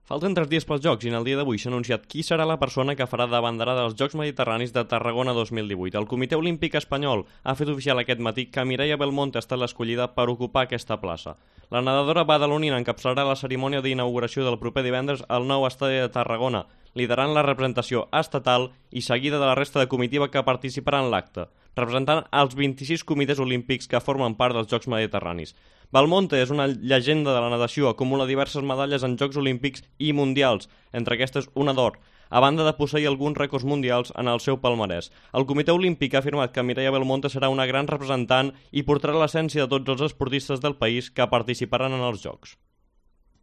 Falten 3 dies pels Jocs i en el dia d'avui s'ha anunciat qui serà la persona que farà de banderada dels Jocs Mediterranis de Tarragona 2018. El Comitè Olímpic Espanyol ha fet oficial aquest matí que Mireia Belmonte ha estat l'escollida per ocupar aquesta plaça. La nedadora badalonina encapçalarà la cerimònia d'inauguració del proper divendres al nou estadi de Tarragona, liderant la representació estatal i seguida de la resta de comitiva que participarà en l'acte, representant els 26 comitès olímpics que formen part dels Jocs Mediterranis. Belmonte és una llegenda de la natació, acumula diverses medalles en Jocs Olímpics i Mundials, entre aquestes una d'or, a banda de posseir alguns rècords mundials en el seu palmarès. El Comitè Olímpic ha afirmat que Mireia Belmonte serà una gran representant i portarà l'essència de tots els esportistes del país que participaran en els Jocs.